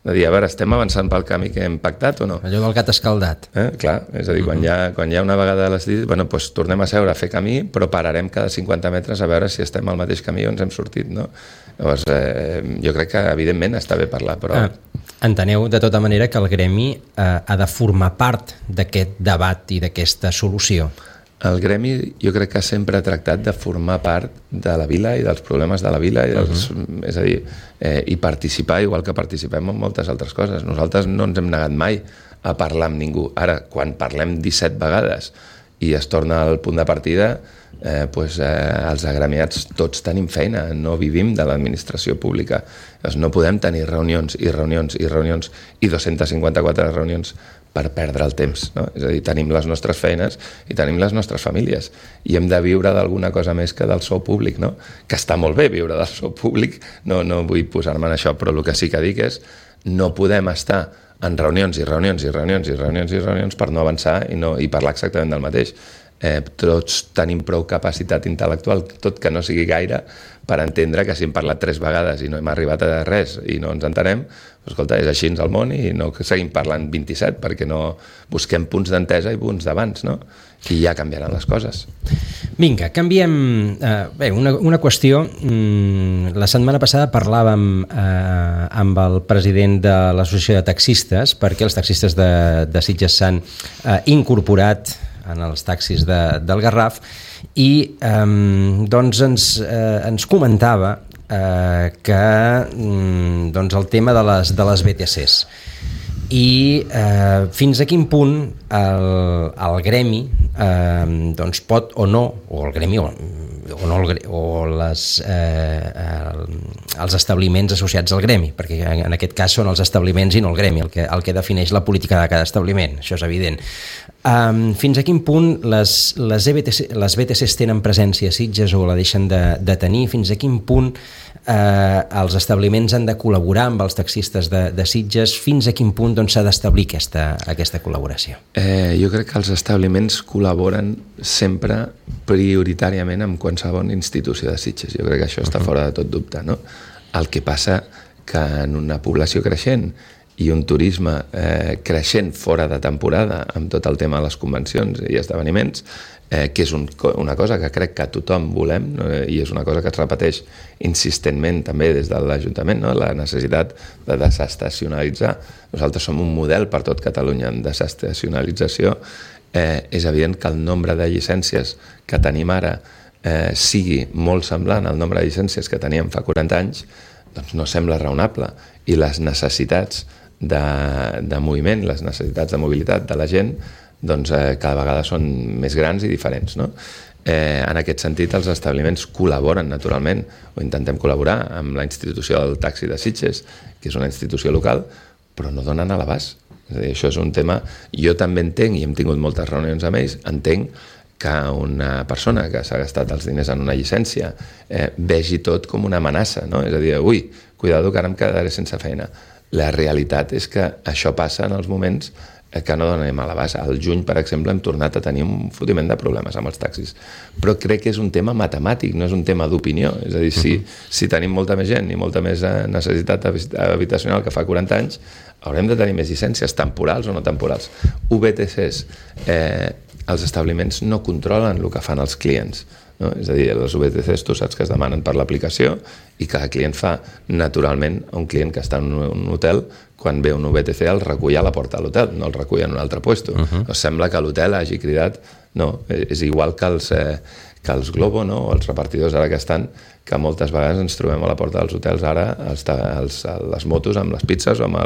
dir, a veure, estem avançant pel camí que hem pactat o no? Allò del gat escaldat. Clar, és a dir, quan hi ha una vegada decidit, bueno, doncs tornem a seure a fer camí, però pararem cada 50 metres a veure si estem al mateix camí o ens hem sortit, no? Llavors, jo crec que, evidentment, està bé parlar, però... Enteneu, de tota manera, que el gremi ha de formar part d'aquest debat i d'aquesta solució? El gremi jo crec que sempre ha tractat de formar part de la vila i dels problemes de la vila, és a dir, i participar igual que participem en moltes altres coses. Nosaltres no ens hem negat mai a parlar amb ningú. Ara, quan parlem 17 vegades i es torna al punt de partida, els agremiats tots tenim feina, no vivim de l'administració pública. No podem tenir reunions i reunions i reunions i 254 reunions per perdre el temps, no? És a dir, tenim les nostres feines i tenim les nostres famílies i hem de viure d'alguna cosa més que del sou públic, no? Que està molt bé viure del sou públic, no vull posar-me en això, però el que sí que dic és no podem estar en reunions i reunions i reunions i reunions i reunions per no avançar i parlar exactament del mateix. Tots tenim prou capacitat intel·lectual, tot que no sigui gaire, per entendre que si hem parlat 3 vegades i no hem arribat a res i no ens entenem, escolta, és així al món i no seguim parlant 27 perquè no busquem punts d'entesa i punts d'abans, no? I ja canviaran les coses. Vinga, canviem... Bé, una qüestió. La setmana passada parlàvem amb el president de l'Associació de Taxistes, perquè els taxistes de Sitges s'han incorporat en els taxis del Garraf i doncs ens comentava que el tema de les BTCs i fins a quin punt el gremi doncs pot o no, o el gremi o els establiments associats al gremi, perquè en aquest cas són els establiments i no el gremi el que defineix la política de cada establiment, això és evident. Fins a quin punt les BTCs tenen presència a Sitges o la deixen de tenir? Fins a quin punt els establiments han de col·laborar amb els taxistes de Sitges? Fins a quin punt s'ha d'establir aquesta col·laboració? Jo crec que els establiments col·laboren sempre prioritàriament amb qualsevol institució de Sitges. Jo crec que això està fora de tot dubte, no? El que passa que en una població creixent i un turisme creixent fora de temporada amb tot el tema de les convencions i esdeveniments, que és una cosa que crec que tothom volem, no? I és una cosa que es repeteix insistentment també des de l'Ajuntament, no? La necessitat de desestacionalitzar. Nosaltres som un model per tot Catalunya en desestacionalització. És evident que el nombre de llicències que tenim ara sigui molt semblant al nombre de llicències que teníem fa 40 anys, doncs no sembla raonable. I les necessitats de moviment, les necessitats de mobilitat de la gent doncs cada vegada són més grans i diferents, no? En aquest sentit, els establiments col·laboren naturalment, o intentem col·laborar amb la institució del taxi de Sitges, que és una institució local, però no donen a l'abast. És a dir, això és un tema... Jo també entenc, i hem tingut moltes reunions amb ells, entenc que una persona que s'ha gastat els diners en una llicència vegi tot com una amenaça, no? És a dir, ui, cuidado que ara em quedaré sense feina. La realitat és que això passa en els moments que no donem a l'abast. Al juny, per exemple, hem tornat a tenir un fotiment de problemes amb els taxis. Però crec que és un tema matemàtic, no és un tema d'opinió. És a dir, si tenim molta més gent i molta més necessitat habitacional que fa 40 anys, haurem de tenir més llicències, temporals o no temporals. VTCs, els establiments no controlen el que fan els clients. No? És a dir, les VTCs tu saps que es demanen per l'aplicació i cada client fa naturalment un client que està en un hotel, quan ve un VTC el recull a la porta de l'hotel, no el recull en un altre puesto. Sembla que l'hotel hagi cridat, no, és igual que els Globo, no? O els repartidors ara que estan, que moltes vegades ens trobem a la porta dels hotels ara les motos amb les pizzas o amb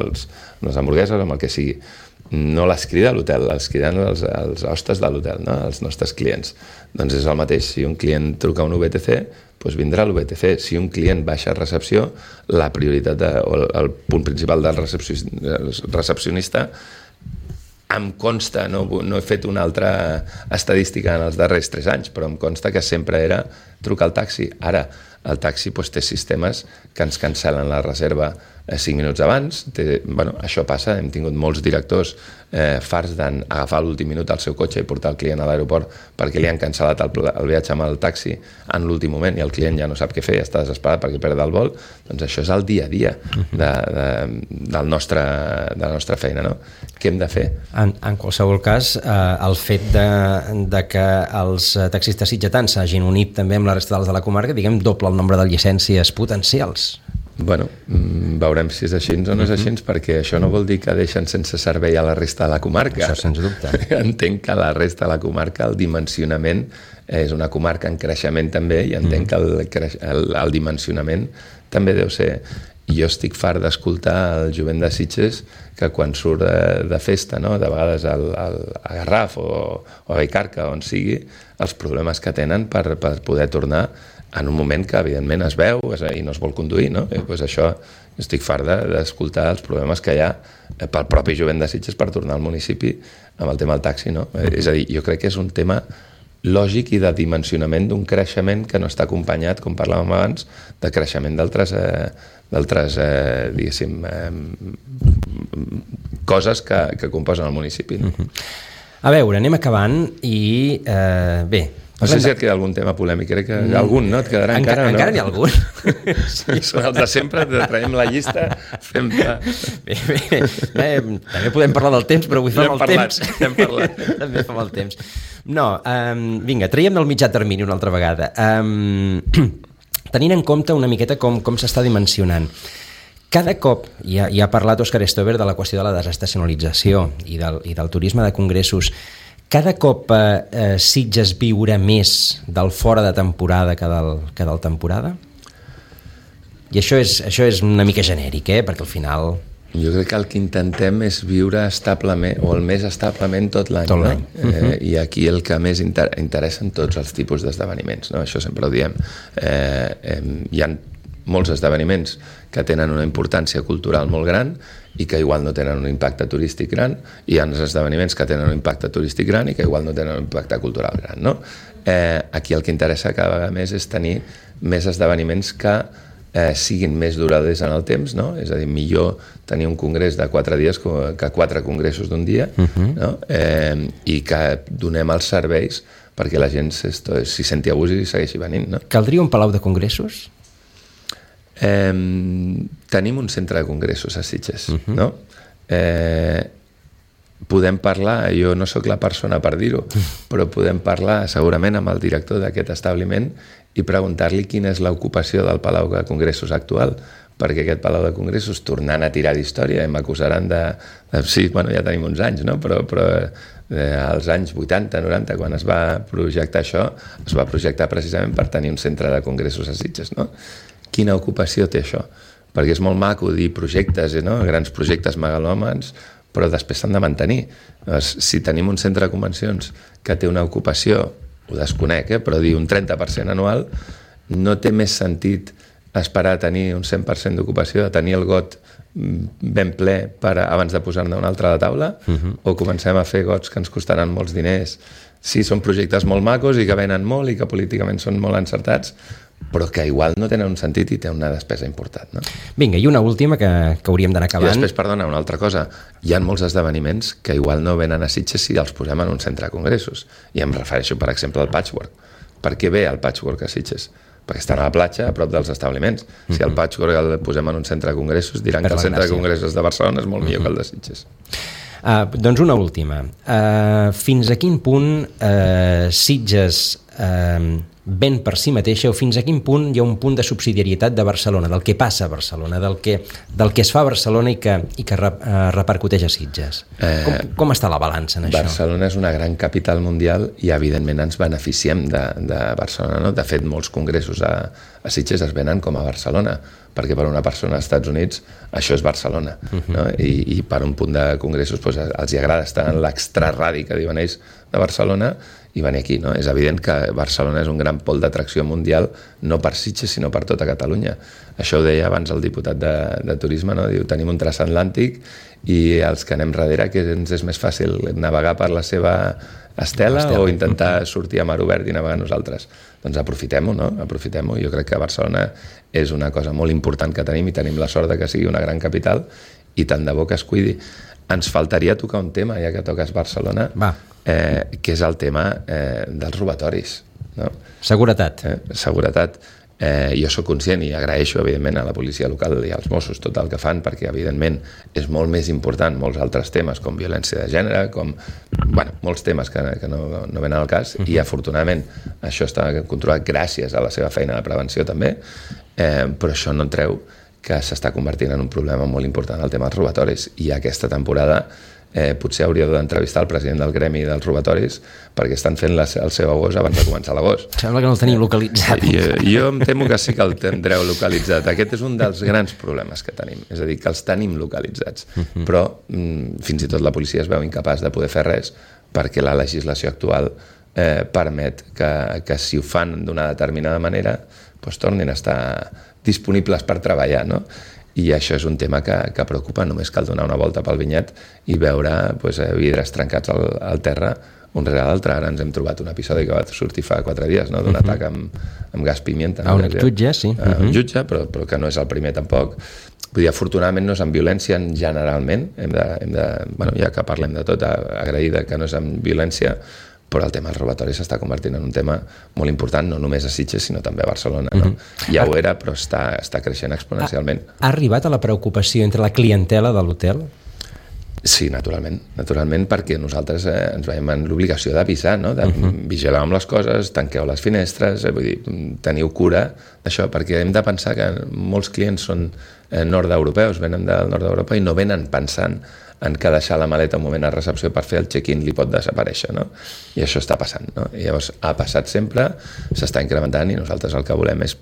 les hamburgueses o amb el que sigui. No les crida l'hotel, les criden els hostes de l'hotel, no? Els nostres clients. Doncs és el mateix, si un client truca un VTC, doncs vindrà l'VTC. Si un client baixa a recepció, la prioritat o el punt principal del recepcionista em consta, no he fet una altra estadística en els darrers 3 anys, però em consta que sempre era trucar al taxi. Ara, el taxi té sistemes que ens cancel·len la reserva 5 minuts abans. Això passa, hem tingut molts directors farts d'agafar a l'últim minut el seu cotxe i portar el client a l'aeroport perquè li han cancel·lat el viatge amb el taxi en l'últim moment i el client ja no sap què fer, està desesperat perquè perd el vol. Doncs això és el dia a dia de la nostra feina, no? Què hem de fer? En qualsevol cas, el fet de que els taxistes sitgetans s'hagin unit també amb la resta dels de la comarca, diguem, doble el nombre de llicències potencials. Bueno, veurem si és així o no és així, perquè això no vol dir que deixen sense servei a la resta de la comarca. Això sens dubte. Entenc que la resta de la comarca, el dimensionament, és una comarca en creixement també, i entenc que el dimensionament també deu ser... Jo estic fart d'escoltar el jovent de Sitges que quan surt de festa, no? De vegades a Garraf o a Vallcarca, on sigui, els problemes que tenen per poder tornar en un moment que evidentment es veu i no es vol conduir, no? Pues això, estic fart d'escoltar els problemes que hi ha pel propi jovent de Sitges per tornar al municipi amb el tema del taxi, no? És a dir, jo crec que és un tema lògic i de dimensionament d'un creixement que no està acompanyat, com parlàvem abans, de creixement d'altres diguéssim, coses que composen el municipi. No? A veure, anem acabant i bé... No sé si et queda algun tema polèmic, crec que algun, no? Et quedarà encara, no? Encara n'hi ha algun. Són els de sempre, traiem la llista, fem... Bé, també podem parlar del temps, però avui fa mal temps. N'hem parlat. També fa mal temps. No, vinga, traiem del mitjà termini una altra vegada. Tenint en compte una miqueta com s'està dimensionant, cada cop, ja ha parlat Òscar Stover de la qüestió de la desestacionalització i del turisme de congressos, cada cop Sitges viurà més del fora de temporada que del temporada? I això és una mica genèric, perquè al final... Jo crec que el que intentem és viure establement, o el més establement tot l'any. Tot l'any. No? I aquí el que més interessen tots els tipus d'esdeveniments, no? Això sempre ho diem. Hi ha molts esdeveniments que tenen una importància cultural molt gran i que igual no tenen un impacte turístic gran, i hi ha esdeveniments que tenen un impacte turístic gran i que igual no tenen un impacte cultural gran, no? Aquí el que interessa cada vegada més és tenir més esdeveniments que siguin més duradors en el temps, no? És a dir, millor tenir un congrés de 4 dies que 4 congressos d'un dia, no? I que donem els serveis perquè la gent s'hi senti a gust i segueixi venint, no? Caldria un palau de congressos? Tenim un centre de congressos a Sitges, no? Podem parlar, jo no sóc la persona per dir-ho, però podem parlar segurament amb el director d'aquest establiment i preguntar-li quina és l'ocupació del Palau de Congressos actual, perquè aquest Palau de Congressos, tornant a tirar d'història, m'acusaran sí, bueno, ja tenim uns anys, no? Però als anys 80, 90, quan es va projectar això, es va projectar precisament per tenir un centre de congressos a Sitges, no? Quina ocupació té això? Perquè és molt maco dir projectes, no? Grans projectes megalòmans, però després s'han de mantenir. Doncs, si tenim un centre de convencions que té una ocupació, ho desconec, però dir un 30% anual, no té més sentit esperar a tenir un 100% d'ocupació, a tenir el got ben ple abans de posar-ne un altre a la taula, o comencem a fer gots que ens costaran molts diners. Sí, són projectes molt macos i que venen molt i que políticament són molt encertats, però que igual no tenen un sentit i té una despesa important. No? Vinga, i una última que hauríem d'anar acabant. I després, perdona, una altra cosa. Hi ha molts esdeveniments que igual no venen a Sitges si els posem en un centre de congressos. I em refereixo, per exemple, al patchwork. Per què ve el patchwork a Sitges? Perquè estan a la platja, a prop dels establiments. Si el patchwork el posem en un centre de congressos, diran que el centre de congressos de Barcelona és molt millor que el de Sitges. Doncs una última. Fins a quin punt Sitges ven per si mateixa, o fins a quin punt hi ha un punt de subsidiarietat de Barcelona, del que passa a Barcelona, del que es fa a Barcelona i que repercuteix a Sitges? Com està la balança en això? Barcelona és una gran capital mundial i evidentment ens beneficiem de Barcelona, no? De fet, molts congressos a Sitges es venen com a Barcelona, perquè per una persona als Estats Units això és Barcelona, no? I per un punt de congressos doncs, els hi agrada estar en l'extraradi, que diuen ells, de Barcelona, i venir aquí, no? És evident que Barcelona és un gran pol d'atracció mundial, no per Sitges, sinó per tota Catalunya. Això ho deia abans el diputat de Turisme, no? Diu, tenim un transatlàntic i els que anem darrere, que ens és més fàcil navegar per la seva estela o intentar sortir a mar obert i navegar nosaltres. Doncs aprofitem-ho, no? Aprofitem-ho. Jo crec que Barcelona és una cosa molt important que tenim i tenim la sort de que sigui una gran capital i tant de bo que es cuidi. Ens faltaria tocar un tema, ja que toques Barcelona, que és el tema dels robatoris. No? Seguretat. Seguretat. Jo sóc conscient i agraeixo, evidentment, a la policia local i als Mossos tot el que fan, perquè, evidentment, és molt més important molts altres temes, com violència de gènere, com molts temes que no venen al cas, i, afortunadament, això està controlat gràcies a la seva feina de prevenció, també, però això no treu que s'està convertint en un problema molt important el tema dels robatoris. I aquesta temporada potser hauríeu d'entrevistar el president del gremi dels robatoris perquè estan fent el seu agost abans de començar l'agost. Sembla que no el tenim localitzat. Jo em temo que sí que el tindreu localitzat. Aquest és un dels grans problemes que tenim, és a dir, que els tenim localitzats, però fins i tot la policia es veu incapaç de poder fer res perquè la legislació actual permet que si ho fan d'una determinada manera doncs tornin a estar disponibles per treballar, no? I això és un tema que preocupa. Només cal donar una volta pel vinyet i veure vidres trencats al terra un rere l'altre. Ara ens hem trobat un episodi que va sortir fa 4 dies, no? D'un atac amb gas pimienta. A un jutge, sí. Un jutge, però que no és el primer tampoc. Vull dir, afortunadament no és amb violència generalment, ja que parlem de tot, agraïda que no és amb violència, però el tema dels robatoris s'està convertint en un tema molt important, no només a Sitges, sinó també a Barcelona. No? Ja ho era, però està creixent exponencialment. Ha arribat a la preocupació entre la clientela de l'hotel? Sí, naturalment, perquè nosaltres ens veiem en l'obligació d'avisar, no? De vigilar amb les coses, tanqueu les finestres, vull dir, teniu cura d'això, perquè hem de pensar que molts clients són nord-europeus, venen del nord d'Europa i no venen pensant en que deixar la maleta un moment a recepció per fer el check-in li pot desaparèixer, no? I això està passant, no? I llavors ha passat sempre, s'està incrementant i nosaltres el que volem és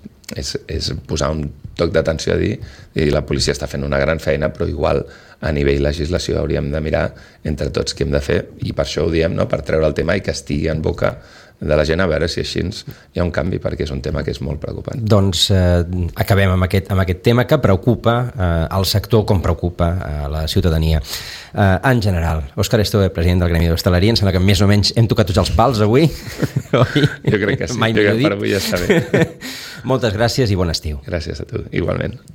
posar un toc d'atenció a dir la policia està fent una gran feina, però igual a nivell legislació hauríem de mirar entre tots què hem de fer i per això ho diem, no? Per treure el tema i que estigui en boca de la gent a veure si així hi ha un canvi, perquè és un tema que és molt preocupant. Doncs acabem amb aquest tema que preocupa el sector com preocupa la ciutadania. En general, Òscar Estove, president del Gremi d'Hostaleria, em sembla que més o menys hem tocat tots els pals avui. Jo crec que sí, per avui ja està bé. Moltes gràcies i bon estiu. Gràcies a tu, igualment.